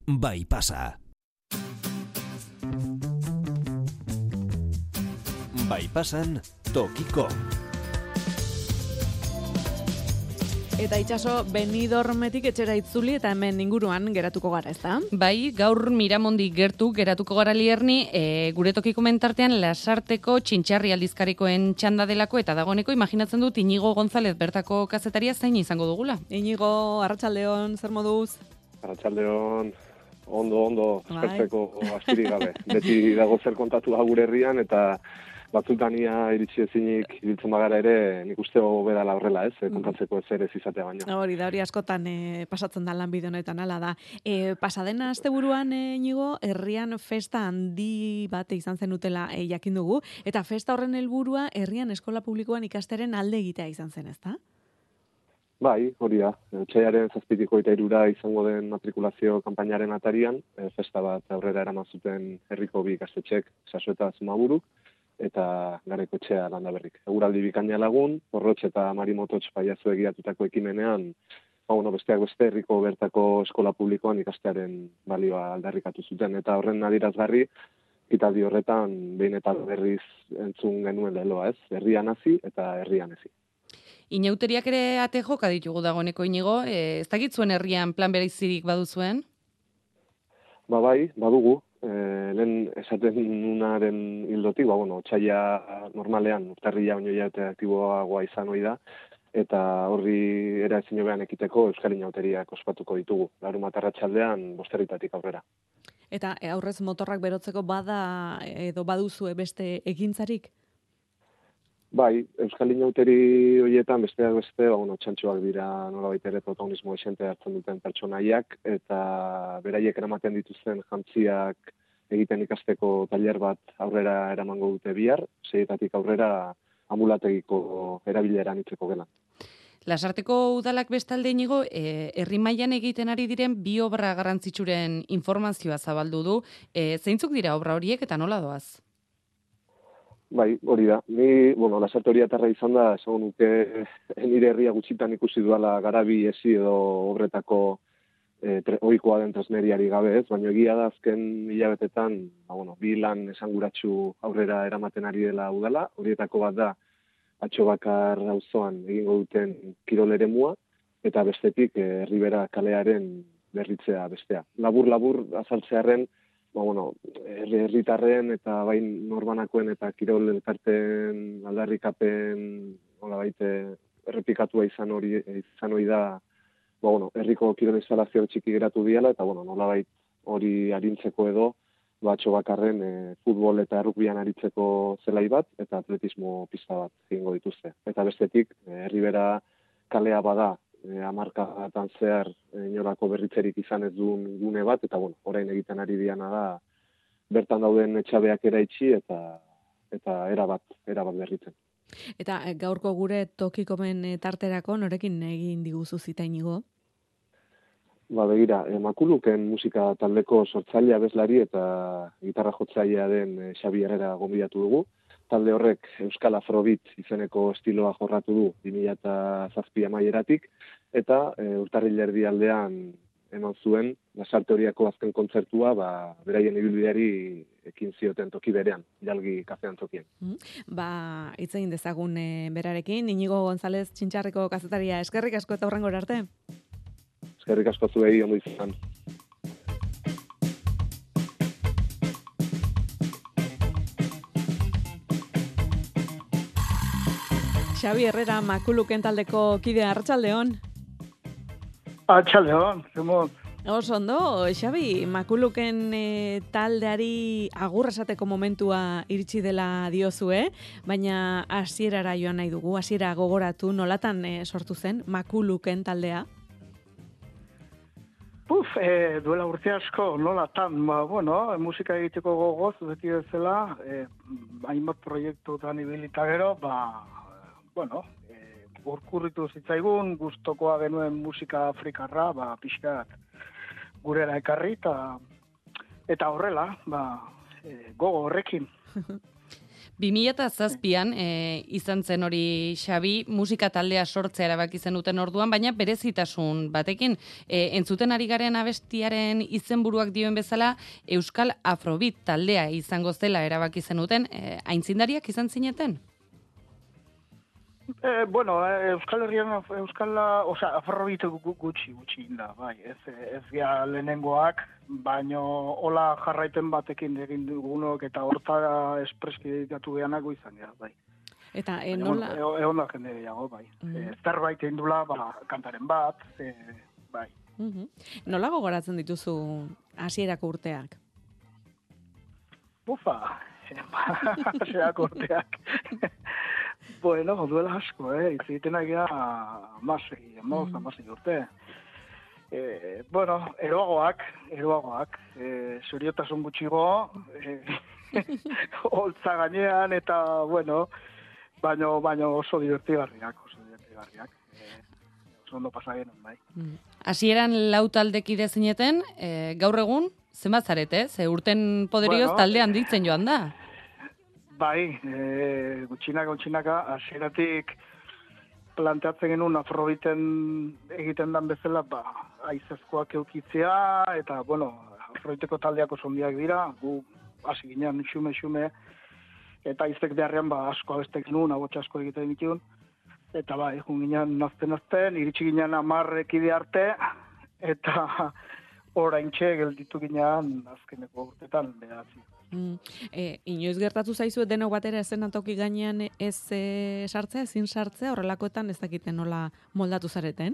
Bai pasa. Bai pasan tokiko. Eta itxaso, Benidormetik etxera itzuli eta hemen inguruan geratuko gara, ezta? Bai, gaur Miramondi gertu geratuko gara Lierni, gure tokiko mentartean Lasarteko Txintxarri aldizkarikoen txanda delako eta dagoeneko imaginatzen dut Inigo González bertako kazetaria zain izango dugula. Inigo, arratsaldeon, zer moduz? Arratsaldeon, ondo, espertzeko astirik gabe. Beti dago zer kontatu gure herrian eta batzutania iritsi ezinik ibiltzen bagara ere, nik uste bedala horrela, ez? Kontatzeko ez izatea baino. Hori askotan pasatzen da lanbide honetan, hala da. Pasadena asteburuan, Inigo, herrian festa handi bat izan zenutela jakin dugu, eta festa horren helburua herrian eskola publikoan ikasteren alde egitea izan zen, ezta? Bai, hori da. Otsailaren 7tik 23 izango den matrikulazio kanpainaren atarian, festa bat aurrera eraman zuten herriko bi ikastetxek, Saso eta Zumaburuk, eta Garaikoetxea Landaberrik. Eguraldi bikaina lagun, Porrotx eta Marimototx paiazu egiatutako ekimenean, besteak beste herriko bertako eskola publikoan ikastearen balioa aldarrikatu zuten, eta horren adierazgarri, ekitaldi horretan behin eta berriz entzun genuen leloa, ez? Herrian hasi eta herrian hezi. Inauteriak ere ate joka ditugu dagoeneko, Inigo, ez dakit zuen herrian plan bereizirik baduzuen? Bai, badugu. Lehen esaten nunaren hildotik, otsaila normalean urtarrila baino jate aktiboagoa izan hori da, eta horri era ezin hobean ekiteko Euskal Inauteriak ospatuko ditugu. Larunbat arratsaldean 5:00 aurrera. Eta aurrez motorrak berotzeko bada edo baduzue beste ekintzarik? Bai, Euskal Inauteri horietan besteak beste, txantxoak dira nolabait ere protagonismo esente hartzen duten pertsonaiak, eta beraiek eramaten dituzten jantziak egiten ikasteko tailer bat aurrera eramango dute bihar, 6:00 aurrera ambulategiko erabileran itzeko gela. Lasarteko udalak bestalde, Inigo, herri mailan egiten ari diren bi obra garrantzitsuren informazioa zabaldu du. Zeintzuk dira obra horiek eta nola doaz? Bai, hori da. Ni, Lasarte horiatarra izan da, esan nuke nire herria gutxitan ikusi duala garabi ezi edo obretako ohikoa den tresneriari gabe, ez? Baina egia da azken hilabetetan, bi lan esanguratsu aurrera eramaten ari dela udala, horietako bat da Atxobakar auzoan egingo duten kirol eremua, eta bestetik Herribera kalearen berritzea bestea. Labur azaltzearren, herritarren eta bain norbanakoen eta kirol elkarten aldarrikapen errepikatua izan hori da, herriko kirol instalazio txiki geratu diala, eta nolabait hori arintzeko edo, Atxobakarren futbol eta errukbian aritzeko zelai bat, eta atletismo pista bat egingo dituzte. Eta bestetik, Herribera kalea bada, hamarkadatan zehar inolako berritzerik izan ez duen gune bat, eta orain egiten ari diana da, bertan dauden etxabeak eraitsi eta erabat berritzen. Eta gaurko gure tokikomen tarterako norekin egin diguzu zita, Inigo? Begira, Makuluken musika taldeko sortzailea abeslari eta gitarra jotzailea den Xabi Herrera gonbidatu dugu. Talde horrek Euskal Afrobeat izeneko estiloa jorratu du 2007 amaieratik, eta urtarrila erdialdean eman zuen Lasarte horiako azken kontzertua, beraien ibilbideari ekin zioten toki berean, Jalgi kafean tokien. Hitz egin dezagun berarekin, Inigo González Txintxarriko kazetaria, eskerrik asko eta hurrengora arte. Eskerrik asko zuei, ondo izan. Xabi Herrera, Makuluken taldeko kidea, arratsaldeon. Arratsaldeon, zemot. Oso ondo, Xabi, Makuluken taldeari agur esateko momentua iritsi dela diozue, baina hasierara joan nahi dugu, hasiera gogoratu, nolatan sortu zen Makuluken taldea? Duela urte asko, nolatan, musika egiteko gogoz, beti bezala, hainbat proiektutan ibilita gero, urkurritu zitzaigun, gustokoa genuen musika afrikarra, pixkat gurera ekarri, eta horrela, gogo horrekin. 2007an izan zen hori, Xabi, musika taldea sortzea erabaki zenuten orduan, baina berezitasun batekin. Entzuten ari garen abestiaren izenburuak dioen bezala, Euskal Afrobeat taldea izango zela erabaki zenuten. Aintzindariak izan zineten? Euskal Herrian, Afrobeat gutxi inda, bai, ez gea lehenengoak, baino hola jarraipen batekin egin dugunok eta hortara espreski dedikatu gehanako izan gara, bai. Eta nola... Egon da jende gehiago, bai. Zerbait egin dula, kantaren bat, bai. Nola gogoratzen dituzu hasierako urteak? Hasierako urteak. Bueno, duela asko, iziten agia amasei urte. Eroagoak, seriotasun gutxigo, holtza gainean, eta, baino oso divertigarriak. Oso ondo pasagenan, bai. Hasieran lau taldekide zineten, gaur egun, zenbat zarete, ze urten poderioz talde handitzen joan da? Bai, gutxinaka, hasieratik planteatzen genuen Afrobeaten egiten dan bezala, aizezkoak eukitzea, eta, Afrobeateko taldeako sondiak dira, gu hasi ginen xume, eta aizek beharrean asko abestek genuen, abotxa asko egiten ditun, eta egun ginen nazten, iritsi ginen 10 ekide arte, eta oraintxe gelditu ginen azkeneko urtetan behatzi. Inoiz gertatu zaizu denok batera eszenatoki gainean ez sartzea, ezin sartzea, horrelakoetan ez dakiten nola moldatu zareten?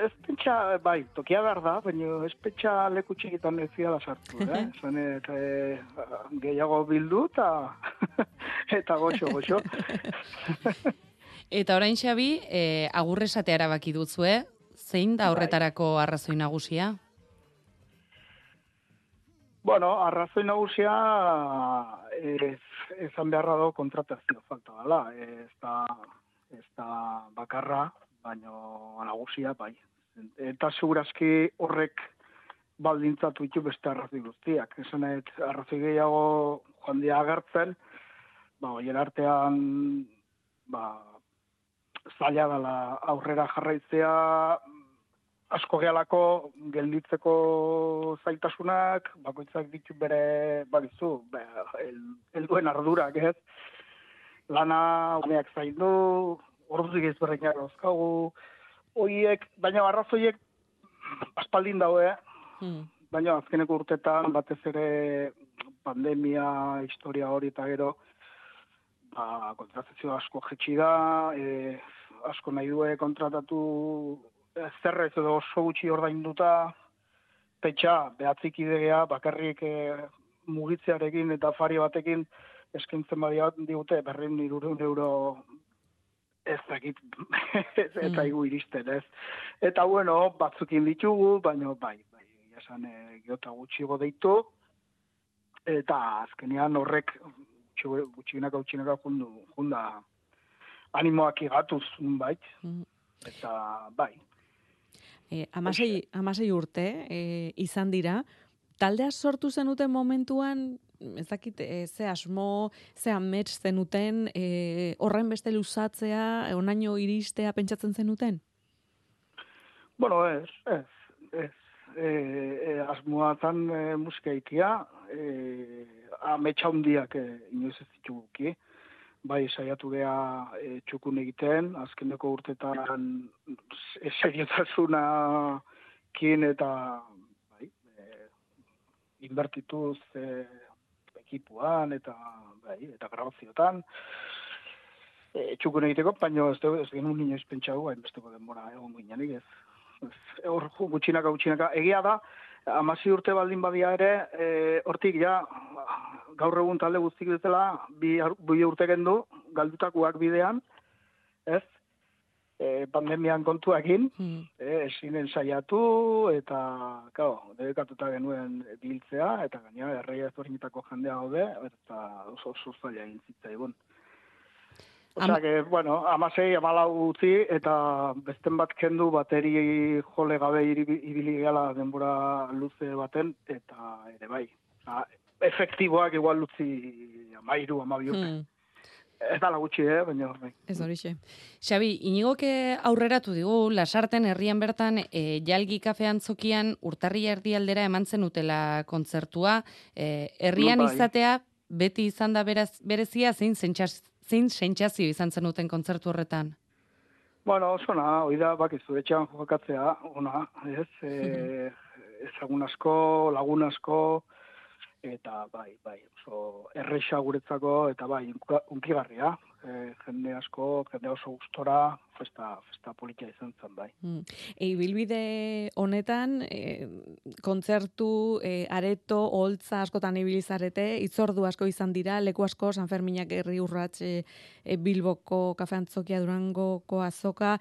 Ez pentsa, tokia behar da, baina ez pentsa leku txikitan ez ziala sartu, Zanet, gehiago bildu eta goxo. Eta orain, Xabi, agurresatea erabaki duzue, zein da horretarako arrazoi nagusia? Arrazoi nagusia ezan beharra do kontratazio falta dela. Ez da bakarra, baino nagusia, bai. Eta segurazki horrek baldintzatu ditu beste arrazoi guztiak. Esanet, arrazoi gehiago joan dia agertzen, horien artean, zaila dela aurrera jarraitzea, asko gehalako gelditzeko zaitasunak, bakoitzak ditu bere, helduen ardurak, ez? Lana umeak zaindu, orduzik ezberdinak dauzkagu, baina arrazoiek aspaldin daue, baina azkeneko urtetan batez ere pandemia, historia hori eta gero, kontratazio asko jetxi da, asko nahi due kontratatu zerrez edo oso gutxi ordainduta, behatzik idea, bakarrik mugitzearekin eta afari batekin eskaintzen digute 200 euro ez dakit, ez daigu iristen, ez. Eta batzukin ditugu, baina esan geota gutxigo deitu, eta azkenean horrek gutxinaka junda animoak igatuz, eta Amasei urte izan dira, taldea sortu zenuten momentuan, ez dakit, ze asmo, ze amets zenuten, horren beste luzatzea, onaino iristea pentsatzen zenuten? Ez. Asmoa zan musika ikia, ametsa hundiak inoiz ez dituguki. Bai, saiatu geha txukun egiten, azkeneko urtetan seriotasuna eta inbertituz ekipuan eta grabaziotan. Txukun egiteko, baina ez genuen inoiz pentsau, hainbesteko denbora egon ginenik ez. Hor gutxinaka. Egia da, 16 urte baldin badia ere, hortik gaur egun talde guztik dutela, bi urte gendu, galdutakoak bidean, ez? Pandemian kontuakin, esinen saiatu, eta, dedikatuta genuen biltzea, eta gaina, erreia ezberdinetako jendea gaude, eta oso zaila egin zitzaigun. Osea, 16, 14 utzi, eta besten bat kendu bateri jole gabe ibili gala denbora luze baten, eta ere bai. efektiboak igual utzi 13-12 urte. Ez da gutxi, baina... Ez horixe. Xabi, Inigoke aurreratu digu, Lasarten herrian bertan, Jalgi kafean zokian urtarria erdialdera eman zenutela kontzertua. Herrian izatea, beti izan da berezia, zein sentsazio izan zenuten kontzertu horretan? Bueno, oso na, oida, bakizu, etxean jokatzea, ona, ez? Ezagun asko, lagun asko, eta bai, oso erresa guretzako, eta bai, unkigarria. Jende asko, jende oso gustora, festa politia izan zen, bai. Ibilbide honetan, kontzertu, areto, holtza askotan ibilizarete, itzordu asko izan dira, leku asko, San Ferminak herri urrats, Bilboko kafeantzokia, Durangoko azoka.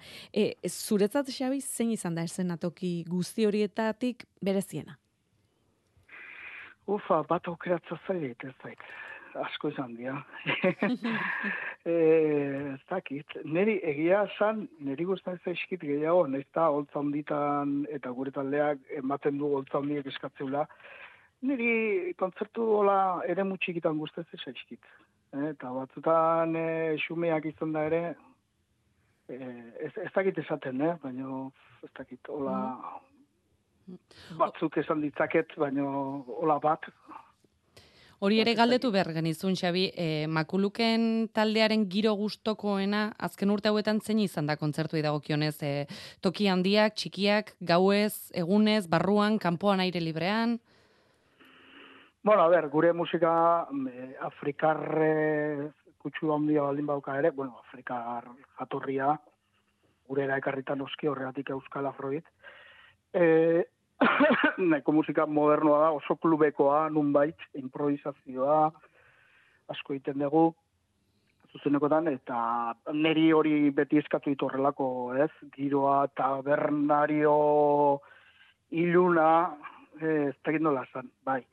Zuretzat, Xabi, zein izan da eszenatoki guzti horietatik bereziena? Bat aukeratza zailet, ez zait. Asko izan dira. Ez dakit. Neri egia esan, neri guztan ez zaizkit gehiago, nahiz da holtza honditan eta gure taldeak ematen du holtza hondiek eskatzeula. Neri kontzertu hola ere mutxikitan guztan ez zaizkit. Eta batzutan xumeak izan da ere, ez dakit esaten, baina ez dakit hola... Batzuk esan ditzaket, baina hola bat. Hori ere galdetu behar genizun, Xabi, Makuluken taldearen giro gustokoena, azken urte hauetan zein izan da kontzertuei dagokionez, toki handiak, txikiak, gauez, egunez, barruan, kanpoan aire librean? Bueno, gure musika afrikar kutsu handia baldin bauka ere, afrikar jatorria, gurera ekarritan oski horregatik Euskal Afroit. Nahiko musika modernoa da, oso klubekoa, nunbait, improvisazioa, asko egiten dugu, zuzenekotan, eta neri hori beti eskatu ditu horrelako, ez? Giroa, tabernario, iluna, ez dakit nola zan, bai.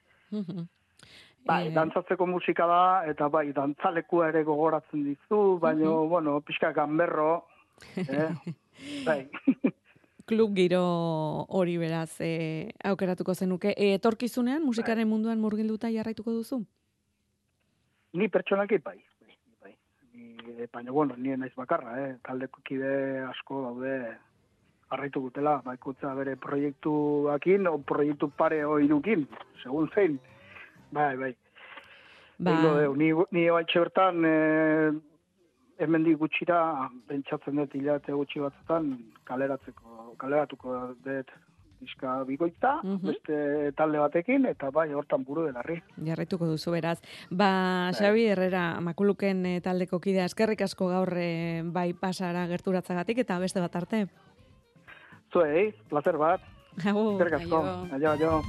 Bai, dantzatzeko musika da, eta bai, dantzalekua ere gogoratzen dizu, baina, pixka ganberro, bai. Klub giro hori beraz aukeratuko zenuke. Etorkizunean, musikaren munduan murgilduta jarraituko duzu? Ni pertsonaki bai. Baina, nien naiz bakarra, taldeko kide asko daude jarraitu gutela, baikutza bere proiektuakin, o proiektu pare oirukin, segun zein. Bai. Ni baitxe bertan, hemendik gutxira, bentsatzen dut hilate gutxi batzutan, kaleratuko dut diska bikoitza, beste talde batekin, eta bai, hortan buru delarri. Jarraituko duzu beraz. Xabi Herrera, Makuluken taldeko kidea, eskerrik asko gaur bai pasara gerturatzagatik, eta beste bat arte. Zuei, placer bat. Agur. Eskerrik asko. Aio.